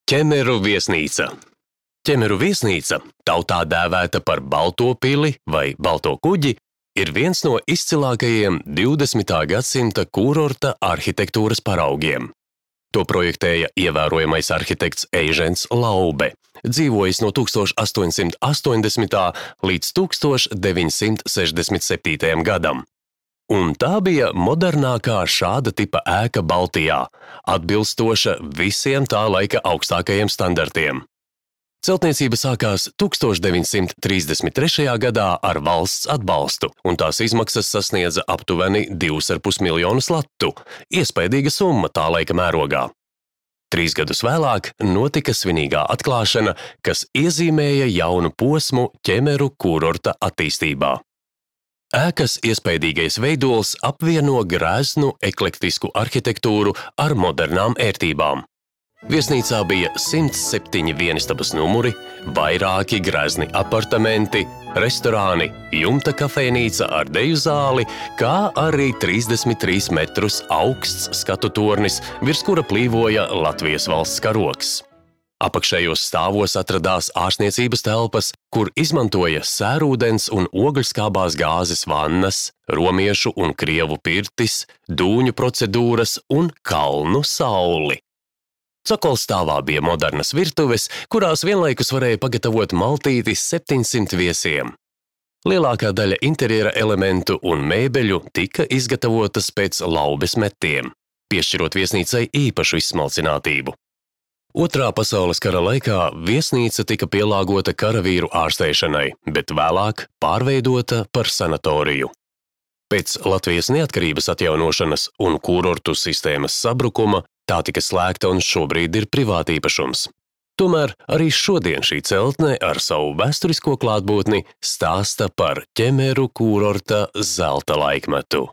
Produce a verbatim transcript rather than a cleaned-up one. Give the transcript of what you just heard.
Ķemeru viesnīca. Ķemeru viesnīca, tautā dēvēta par Balto pili vai Balto kuģi, ir viens no izcilākajiem divdesmitā gadsimta kūrorta arhitektūras paraugiem. To projektēja ievērojamais arhitekts Eižens Laube, dzīvojis no tūkstoš astoņsimt astoņdesmitā līdz tūkstoš deviņsimt sešdesmit septītajam gadam. Un tā bija modernākā šāda tipa ēka Baltijā, atbilstoša visiem tā laika augstākajiem standartiem. Celtniecība sākās tūkstoš deviņsimt trīsdesmit trešajā gadā ar valsts atbalstu, un tās izmaksas sasniedza aptuveni divus ar pus miljonus latu, iespaidīga summa tā laika mērogā. Trīs gadus vēlāk notika svinīgā atklāšana, kas iezīmēja jaunu posmu Ķemeru kūrorta attīstībā. Ēkas iespaidīgais veidols apvieno grēznu eklektisku arhitektūru ar modernām ērtībām. Viesnīcā bija simts septiņi vienistabas numuri, vairāki grezni apartamenti, restorāni, jumta kafejnīca ar deju zāli, kā arī trīsdesmit trīs metrus augsts skatu tornis, virs kura plīvoja Latvijas valsts karogs. Apakšējos stāvos atradās ārstniecības telpas, kur izmantoja sērūdens un ogļskābās gāzes vannas, romiešu un krievu pirtis, dūņu procedūras un kalnu sauli. Cokolstāvā bija modernas virtuves, kurās vienlaikus varēja pagatavot maltīti septiņsimt viesiem. Lielākā daļa interjera elementu un mēbeļu tika izgatavotas pēc Laubes metiem, piešķirot viesnīcai īpašu izsmalcinātību. Otrā pasaules kara laikā viesnīca tika pielāgota karavīru ārstēšanai, bet vēlāk pārveidota par sanatoriju. Pēc Latvijas neatkarības atjaunošanas un kūrortu sistēmas sabrukuma tā tika slēgta un šobrīd ir privātīpašums. Tomēr arī šodien šī celtne ar savu vēsturisko klātbūtni stāsta par Ķemeru kūrorta zelta laikmetu.